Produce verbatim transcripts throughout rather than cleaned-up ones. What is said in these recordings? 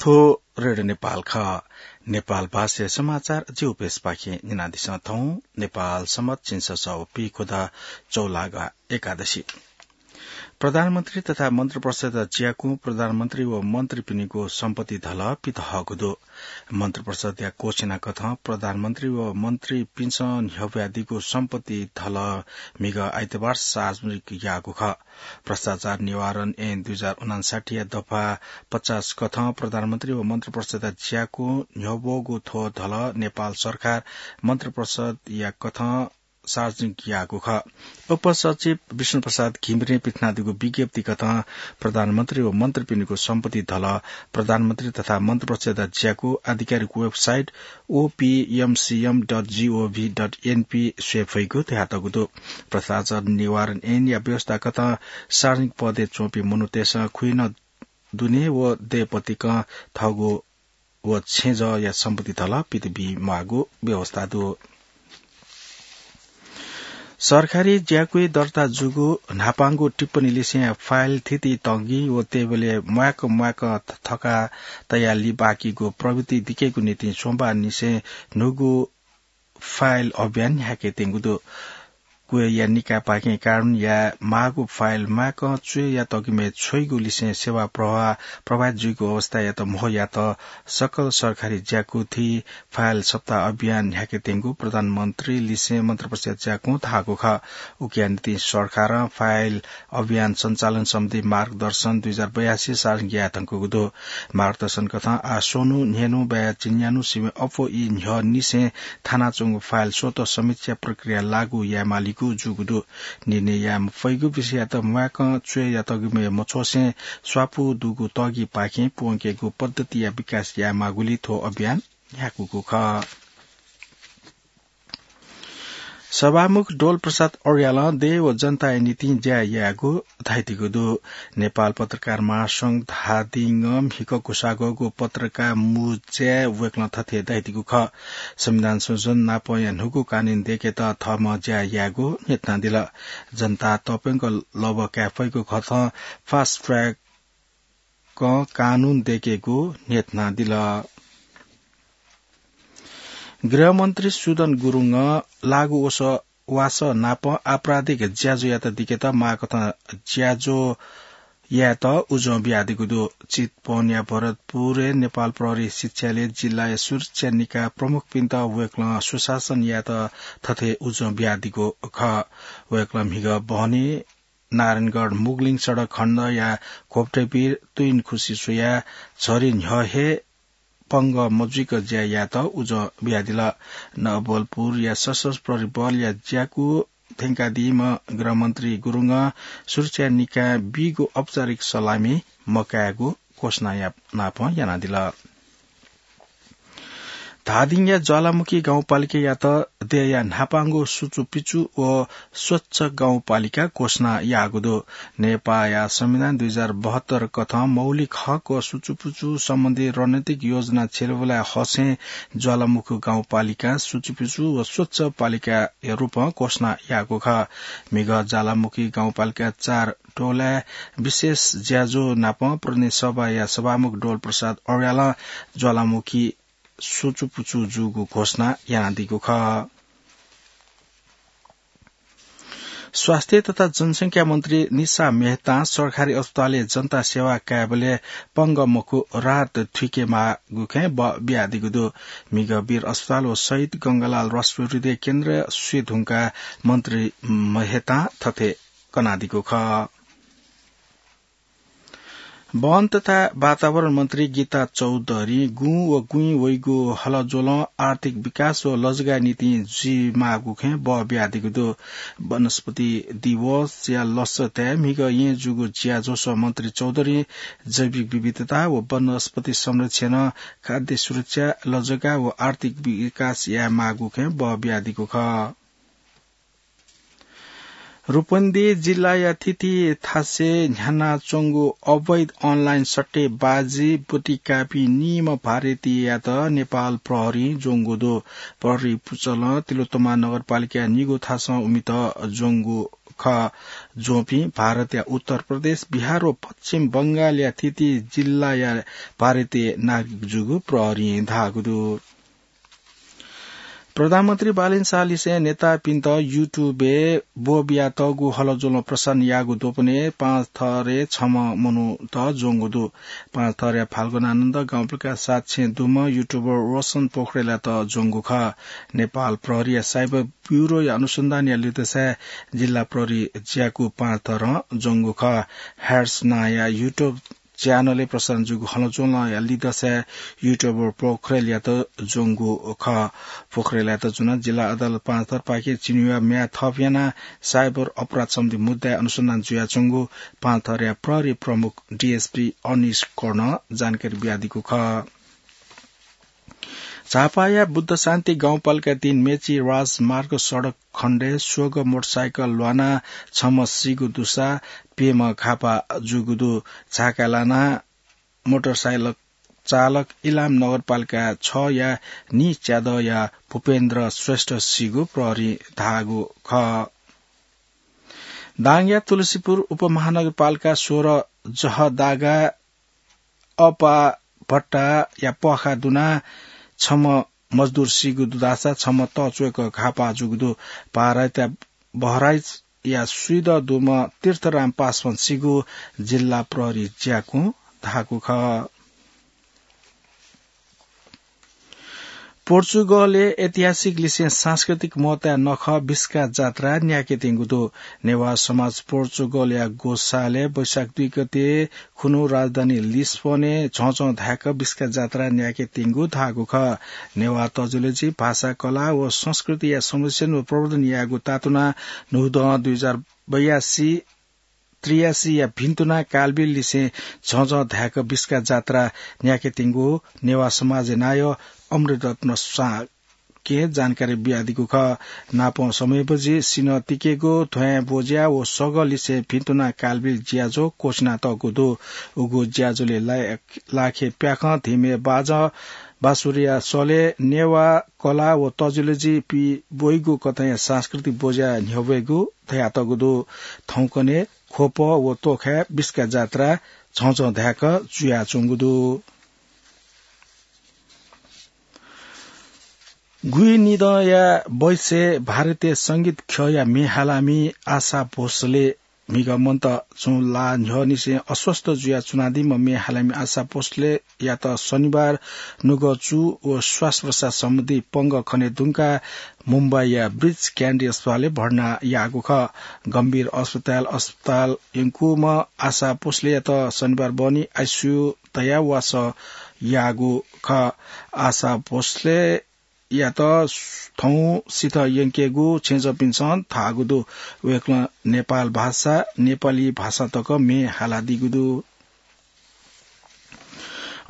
थ्व रेडियो नेपाल खः। नेपाल भाषाया समाचार ज्यू प्रेसपाखें न्यनादिसँ थौं। नेपाल सम्बत झिंछसः व पीखुदँ चौलागा एकादशी। प्रधानमन्त्री तथा मन्त्रिपरिषदया ज्याकुं प्रधानमन्त्री व मन्त्रीपिनिगु सम्पत्ति धलः पित हःगु दु। मन्त्रिपरिषदया कोसिना कथं प्रधानमन्त्री व मन्त्रीपिन्सं न्ह्यब्वयादीगु सम्पत्ति धलः म्हिगः आइतबार सार्वजनिक याःगु खः। भ्रष्टाचार निवारण ऐन दुई हजार उनान्साठी या दफा पचास कथं प्रधानमन्त्री व मन्त्रिपरिषदया ज्याकुं न्ह्यब्वःगु थ्व धलः नेपाल सरकार मन्त्रिपरिषदया कथं सार्वजनिक याःगु खः। उपसचिव विष्णु प्रसाद घिमिरें पिथनादीगु विज्ञप्ति कथं प्रधानमन्त्री व मन्त्रीपिनिगु सम्पत्ति धलः प्रधानमन्त्री तथा मन्त्रिपरिषदया ज्याकु आधिकारिक वेबसाइट ओपीएमसीएम डट जीओभी डट एनपी स्वये फइगु धयातःगु दु। भ्रष्टाचार निवारण ऐनया व्यवस्था कथं सार्वजनिक पदय् च्वंपिं मनूतय्सं खुइनः दुने व दय्पतिकं थःगु व छेँजःया सम्पत्ति धलः पित बी म्वाःगु व्यवस्था दु। सरकारी ज्याकुइ दर्ता जूगु न्हापांगु टिप्पणी लिसें फाइल थिति तंगि व तेबलय् म्वाय्क म्वाय्क थका तयाः लिबाकीगु प्रवृत्ति दिकेगु निंतिं सोमबार निसें न्हूगु फाइल अभियान न्ह्याके त्यंगु दु। क्वय्या निकायपाखें कानून याये माःगु फाइल म्वाय्कं च्वय् यातःगुमय् छ्वइगु लिसें सेवा प्रवाह प्रभावित जुइगु अवस्थायात म्हो यात सकल सरकारी ज्याकु थी फाइल सप्ताह अभियान न्ह्याके त्यंगु प्रधानमन्त्री लिसें मन्त्रिपरिषदया ज्याकुं धाःगु खः। उकिया निंतिं सरकारं फाइल अभियान सञ्चालन सम्बन्धी मार्गदर्शन दुई हजार बयासी सार्वजनिक याये धुंकूगु दु। मार्गदर्शन कथं आः स्वन्हु, न्हय्न्हु, बया झिंन्यान्हु सिबें अप्वः ई न्ह्यः निसें थानाच्वंगु फाइल स्वतः समीक्षा प्रक्रिया लागू यायेमालीगु जूगु दु। निर्णय याये मफइगु विषययात म्वाय्कं च्वय् यातःगुमय् मछ्वसें स्वापू दुगु तःगिपाखें प्वंकेगु पद्धतिया विकास यायेमाःगुलिं थ्व अभियान न्ह्याकूगु खः। सभामुख डोल प्रसाद अर्यालं देय् व जनताया निंतिं ज्या यायेगु धयादीगु दु। नेपाल पत्रकार महासंघ धादिङं म्हिगः ग्वसाः ग्वःगु पत्रकार मुँज्याय् वय्कलं थथे धयादीगु खः। संविधान संशोधन नापंया न्हूगु कानून दय्केत थःम्हं ज्या यायेगु न्ह्यथनादिल। जनतां तःप्यंक लबः काये फइगु कथं फास्ट ट्र्याक कानून दय्केगु न्ह्यथनादिल। गृहमन्त्री सुदन गुरुङं लागू वस-, वासः नाप आपराधिक ज्याझ्वःयात दिकेत माःकथं ज्याझ्वः यायेत उजं बियादीगु दु। चितवनया भरतपुरय् नेपाल प्रहरी शिक्षालय जिल्लाया सुरक्षा निकाय प्रमुखपिन्त वय्कलं सुशासन यायेत थथे उजं बियादीगु खः। वय्कलं म्हिगः बहनी नारायणगढ मुगलिङ सडक खण्डया घोप्टेबीर तुइनखुसी स्वयाः झरी न्ह्यः हे पंगः मजुइक ज्या यायेत उजं बियादिल। नवलपुरया सशस्त्र प्रहरी बलया ज्याकू थ्यंकादीम्ह गृहमन्त्री गुरुङं सुरक्षा निकायं बीगु औपचारिक सलामी मकायेगु घोषणा या-, नापं यानादिल। धादिङया ज्वालामुखी गाउँपालिकायात देय्या न्हापांगु सुचुपिचु व स्वच्छ गाउँपालिका घोषणा याःगु दु। नेपाःया संविधान दुई हजार बहत्तर कथं मौलिक हक व सुचुपुचु सम्बन्धी रणनीतिक योजना छ्यलेबलय् हसें ज्वालामुखी गाउँपालिका सुचुपुचु व स्वच्छ पालिकाया रूपं घोषणा याःगु खः। म्हिगः ज्वालामुखी गाउँपालिका चार डोलाय् विशेष ज्याझ्वः नापं प्रतिनिधि सभाया सभामुख डोल प्रसाद अर्यालं ज्वालामुखी सुचुपुचु जूगु घोषणा यानादीगु खः। स्वास्थ्य तथा जनसंख्या मन्त्री निशा मेहतां सरकारी अस्पतालय् जनता सेवा कायेबलय् पंगः मखु राहत थुइके माःगु खँय् बः बियादीगु दु। म्हिगः वीर अस्पताल व शहीद गंगालाल राष्ट्रिय हृदय केन्द्र स्वये धुंकाः मन्त्री मेहतां थथे कनादीगु खः। वन तथा वातावरण मन्त्री गीता चौधरीं गुँ व गुँइ वइगु हलज्वलं आर्थिक विकास व लजगाःया निंतिं जुइमाःगु खँय् बः बियादीगु दु। वनस्पति दिवसया लसताय् म्हिगः येँ जूगु ज्याझ्वलय् मन्त्री चौधरीं जैविक विविधता व वनस्पति संरक्षणं खाद्य सुरक्षा, लजगाः व आर्थिक विकास यायेमाःगु खँय् बः बियादीगु खः। रूपन्देही जिल्लाया थिति थासय् न्ह्यानाच्वंगु अवैध अनलाइन सट्टेबाजी ब्वति काःपिं नीम्ह भारतीययात नेपाल प्रहरीं ज्वंगु दु। प्रहरी पुचलं तिलोत्तमा नगरपालिकाया निगू थासं उमित ज्वंगु खः। ज्वंपिं भारतया उत्तर प्रदेश, बिहार व पश्चिम बंगालया थीथी जिल्लाया भारतीय नागरिक जूगु प्रहरीं धाःगु दु। प्रधानमन्त्री बालन शाहलिसें नेतापिन्त YouTube-य् ब्वःबियातःगु हलज्वलं प्रसारण याःगु द्वपनय् पाँच थरय् छम्ह मनूत ज्वंगु दु। पाँच थरया फाल्गुनानन्द गाउँपालिका सात छेँ दुम्ह YouTuber रोशन पोखरेलयात ज्वंगु खः। नेपाल प्रहरीया साइबर ब्युरोया अनुसन्धानया लिधंसाय् जिल्ला प्रहरी ज्याकू पाँच थरं ज्वंगु खः। ह्यार्स नांया YouTube च्यानलय् प्रसारण जूगु हलज्वलंया लिधंसाय् YouTuber पोखरेलयात ज्वंगु खः। पोखरेलयात जुन जिल्ला अदालत पाँच थरपाखें चिनिया म्याद थप यानाः साइबर अपराध सम्बन्धी मुद्दाय् अनुसन्धान जुयाच्वंगु पाँच थरया प्रहरी प्रमुख DSP अनिश कर्णं जानकारी बियादीगु खः। झापाया बुद्ध शान्ति गाउँपालिका तीन मेची राजमार्ग सडक खण्डय् स्वग मोटरसाइकल ल्वानाः छम्ह सीगु दुसा प्यम्ह घाःपाः जूगु दु। झाका लाना मोटरसाइकल चालक इलाम नगरपालिका छया नीच्यादँया भूपेन्द्र श्रेष्ठ सीगु प्रहरीं धाःगु खः। दाङया तुलसीपुर उपमहानगरपालिका सोह्र जहदागा अपाभट्टाया प्वाखा दुनाः छम्ह मजदुर सीगु दु धाःसा छम्ह तःच्वय्क घाःपाः जूगु दु। भारतया बहराइचया स्वीदँ दुम्ह तीर्थराम पासवान सीगु जिल्ला प्रहरी ज्याकूं धाःगु खः। पोर्चुगलय् ऐतिहासिक लिसें सांस्कृतिक महत्वया नखः बिस्का जात्रा न्याकेत्यंगु दु। नेवाः समाज पोर्चुगलया ग्वसालय् वैशाख दुई गते खुन्हु राजधानी लिस्बनय् झःझः धाय्क बिस्का जात्रा न्याकेत्यंगु धाःगु खः। नेवाः तजुलजि भाषा, कला व संस्कृतिया संरक्षण व प्रवर्धन यायेगु तातुनाः न्हूदँ दुई हजार बयासी त्रियासीया भिन्तुना कालबिल लिसें झःझः धाय्क बिस्का जात्रा न्याकेत्यंगु नेवाः समाजया नायः अमृतरत्न शाक्यं जानकारी बियादीगु खः। नापं समयबजि सिन्हः तिकेगु, ध्वाँय् ब्वज्या व सगः लिसें भिन्तुना कालबिल ज्याझ्वः क्वछिनातःगु दु। उगु ज्याझ्वलय् ला-, लाखे प्याखं धिमय् बाजं बाँसुरीया सलय् नेवाः कला व तजुलजि पिब्वइगु कथंया सांस्कृतिक ब्वज्या न्ह्यब्वयेगु धयातःगु दु। थौंकन्हय् ख्वप व तोखाय् बिस्का जात्रा झःझः धाय्क जुयाच्वंगु दु। गुइनिदँया बैसय् भारतीय संगीत ख्यःया म्ये हालामि आशा भोसले म्हिगः मन्त छुं ला न्ह्यःनिसें अस्वस्थ जुयाः च्वनादीम्ह म्ये हालामि आशा भोसलेयात शनिबार नुगः चू व श्वास प्रश्वास सम्बन्धी पंगः खने धुंकाः मुम्बईया ब्रिच क्यान्डी अस्पतालय् भर्ना याःगु खः। गम्भीर अस्पताल अस्पताल यंकूम्ह आशा भोसलेयात शनिबार बहनी आइसियु तयाः वासः याःगु खः। आशा भोसले यात थौं सिथः यंकेगु छेँजःपिन्सं धाःगु दु। वय्कलं नेपाल भाषा, नेपाली भाषा तक म्ये हालादीगु दु।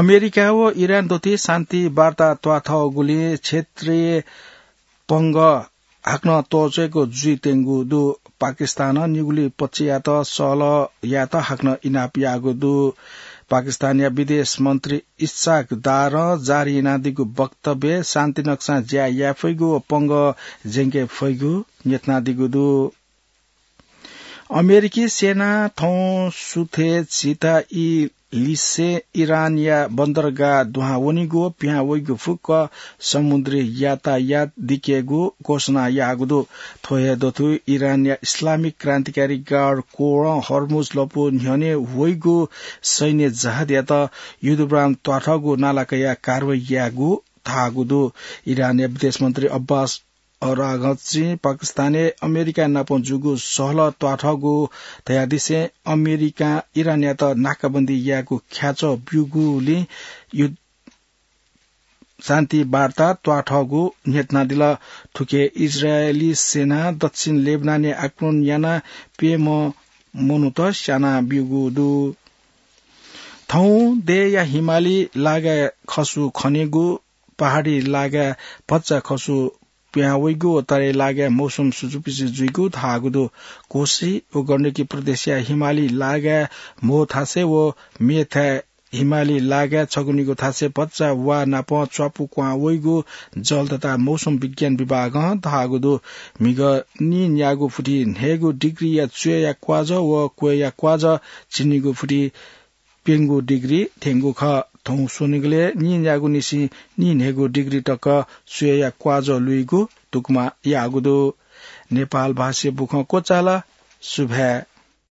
अमेरिका व इरान दथुइ शान्ति वार्ता त्वाथःगुलिं क्षेत्रीय पंगः हाकनं तःच्वय्क जुइत्यंगु दु। पाकिस्तानं निगुलिं पक्षयात सहलह यायेत हाकनं इनाप याःगु दु। पाकिस्तानया विदेश मन्त्री इस्साक दारं जारी यानादीगु वक्तव्यय् शान्ति नक्सां ज्या याये फइगु व पंगः ज्यंके फइगु न्ह्यथनादीगु दु। अमेरिकी सेनां थौं सुथय् झिता ई लिसें इरानया बन्दरगाह दुहां वनीगु व पिहां वइगु फुक्क समुद्री यातायात दिकेगु घोषणा याःगु दु। थ्व हे दथुइ इरानया इस्लामिक क्रान्तिकारी गार्ड कोरं हर्मुज लँपु न्ह्यःने वइगु सैन्य जहाजयात युद्धविराम त्वाथःगु नाला कयाः कारवाही यायेगु धाःगु दु। इरानया विदेश मन्त्री अब्बास अराघचीं पाकिस्तानय् अमेरिका नाप जूगु सहलह त्वाथःगु धयादिसें अमेरिकां इरानयात नाकाबन्दी यायेगु ख्याच्वः ब्यूगुलिं यु-, शान्ति वार्ता त्वाथःगु न्ह्यथनादिल। थुके इजरायली सेनां दक्षिण लेबनानय् आक्रमण यानाः प्यम्ह मनूत स्यानाब्यूगु दु। थौं देय्‌या हिमाली लागाय् खसु खनेगु, पहाडी लागाय् भचा खसु पिहां वइगु व तराई लागाय् मौसम सुजुपिजु जुइगु धाःगु दु। कोशी व गण्डकी प्रदेशया हिमाली लागाय् म्हो थासय् व मेथाय् हिमाली लागाय् छगू निगू थासय् भचा वा नाप च्वापु क्वां वइगु जल तथा मौसम विज्ञान विभागं धाःगु दु। म्हिगः नीन्यागू फुति न्हय्गू डिग्रीया च्वय्या क्वाजः व क्वय्या क्वाजः झिंनिगू फुति प्यंगू डिग्री थ्यंगु खः। थौं स्वनिगलय् नीन्यागू निसें नीन्हय्गू डिग्री तक च्वय्या क्वाजः लुइगु तुकमा याःगु दु। नेपाल भाषाया बुखँ क्वचाल। सुभाय्।